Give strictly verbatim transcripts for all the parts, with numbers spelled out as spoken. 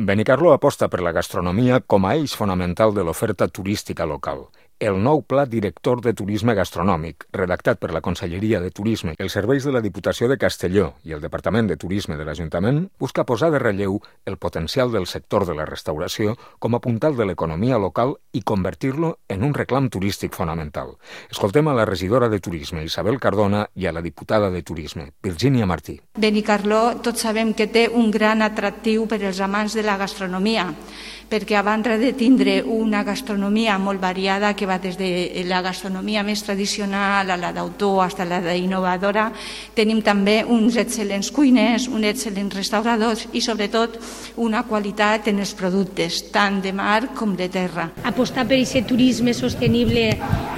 Benicarló aposta per la gastronomia com a eix fonamental de l'oferta turística local. El nou Pla Director de Turisme Gastronòmic, redactat per la Conselleria de Turisme, els serveis de la Diputació de Castelló i el Departament de Turisme de l'Ajuntament, busca posar de relleu el potencial del sector de la restauració com a puntal de l'economia local i convertir-lo en un reclam turístic fonamental. Escoltem a la regidora de Turisme, Isabel Cardona, i a la diputada de Turisme, Virgínia Martí. Benicarló tots sabem que té un gran atractiu per als amants de la gastronomia, perquè a banda de tindre una gastronomia molt variada que va des de la gastronomia més tradicional a la d'autor fins a la d'innovadora, tenim també uns excel·lents cuiners, uns excel·lents restauradors i sobretot una qualitat en els productes, tant de mar com de terra. Apostar per aquest turisme sostenible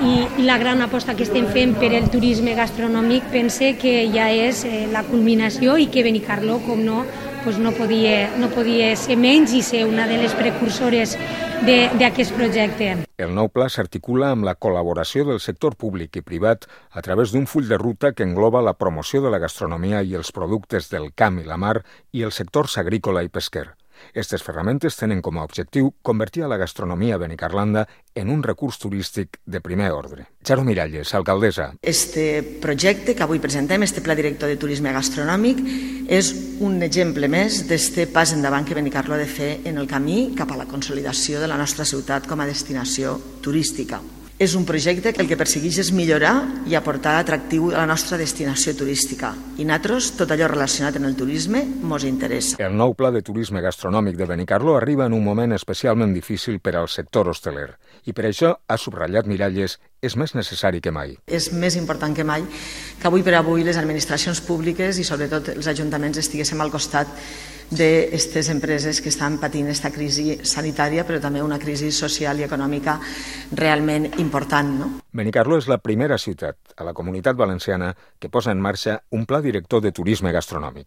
i la gran aposta que estem fent per el turisme gastronòmic pense que ja és la culminació i que Benicarló, com no, pues no, podia, no podia ser menys i ser una de les precursores d'aquest projecte. El nou pla s'articula amb la col·laboració del sector públic i privat a través d'un full de ruta que engloba la promoció de la gastronomia i els productes del camp i la mar i els sectors agrícola i pesquer. Aquestes ferramentes tenen com a objectiu convertir a la gastronomia benicarlanda en un recurs turístic de primer ordre. Charo Miralles, alcaldessa. Este projecte que avui presentem, este Pla Director de Turisme Gastronòmic, és un exemple més d'este pas endavant que Benicarló ha de fer en el camí cap a la consolidació de la nostra ciutat com a destinació turística. És un projecte que el que persegueix és millorar i aportar atractiu a la nostra destinació turística. I nosaltres, tot allò relacionat amb el turisme, ens interessa. El nou Pla de Turisme Gastronòmic de Benicarló arriba en un moment especialment difícil per al sector hosteler. I per això, ha subratllat Miralles, és més necessari que mai. És més important que mai que avui per avui les administracions públiques i sobretot els ajuntaments estiguéssim al costat d'aquestes empreses que estan patint aquesta crisi sanitària, però també una crisi social i econòmica realment important. No? Benicarló és la primera ciutat a la Comunitat Valenciana que posa en marxa un pla director de turisme gastronòmic.